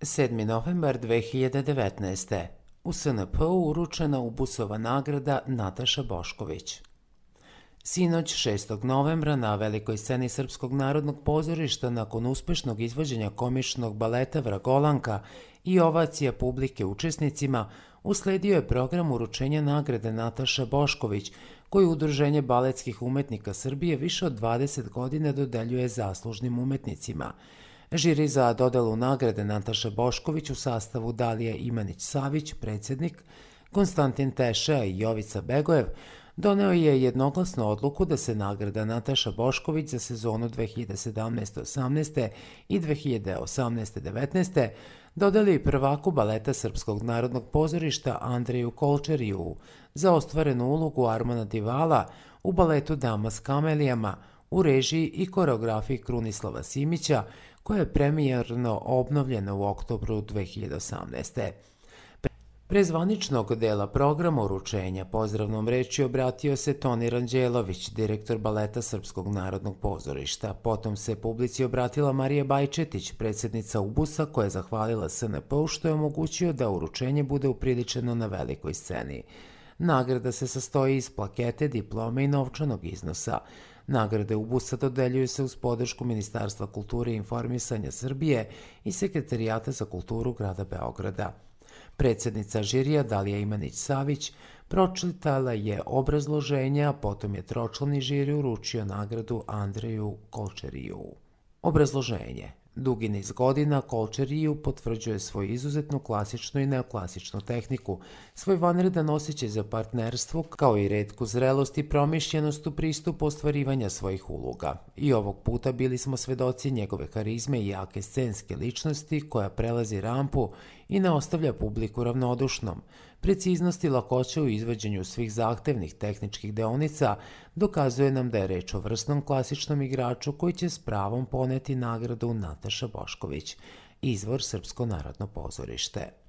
7. novembar 2019. U SNP-u uručena Ubusova nagrada Nataša Bošković. Sinoć 6. novembra na velikoj sceni Srpskog narodnog pozorišta nakon uspešnog izvođenja komičnog baleta Vragolanka i ovacija publike učesnicima usledio je program uručenja nagrade Nataša Bošković, koju Udruženje baletskih umetnika Srbije više od 20 godina dodeljuje zaslužnim umetnicima. Žiri za dodelu nagrade Nataša Bošković u sastavu Dalija Imanić-Savić, predsjednik, Konstantin Teša i Jovica Begojev doneo je jednoglasnu odluku da se nagrada Nataša Bošković za sezonu 2017-18 i 2018-19 dodeli prvaku baleta Srpskog narodnog pozorišta Andreju Kolčeriju za ostvarenu ulogu Armana Divala u baletu Dama s kamelijama u režiji i koreografiji Krunislava Simića, koja je premijerno obnovljena u oktobru 2018. Pre zvaničnog dela programa uručenja pozdravnom reči obratio se Toni Ranđelović, direktor baleta Srpskog narodnog pozorišta. Potom se publici obratila Marija Bajčetić, predsjednica Ubusa, koja je zahvalila SNP-u što je omogućio da uručenje bude upriličeno na velikoj sceni. Nagrada se sastoji iz plakete, diplome i novčanog iznosa. Nagrade Ubusa dodeljuju se uz podršku Ministarstva kulture i informisanja Srbije i Sekretarijata za kulturu grada Beograda. Predsjednica žirija Dalija Imanić-Savić pročitala je obrazloženje, a potom je tročlani žiri uručio nagradu Andreju Kolčeriju. Obrazloženje. Dugi niz godina Kolčeriju potvrđuje svoju izuzetnu klasičnu i neoklasičnu tehniku, svoj vanredan osjećaj za partnerstvo, kao i retku zrelost i promišljenost u pristupu ostvarivanja svojih uloga. I ovog puta bili smo svedoci njegove harizme i jake scenske ličnosti koja prelazi rampu i ne ostavlja publiku ravnodušnom. Preciznost i lakoća u izvođenju svih zahtevnih tehničkih deonica dokazuje nam da je reč o vrsnom klasičnom igraču koji će s pravom poneti nagradu Nataša Bošković. Izvor Srpsko narodno pozorište.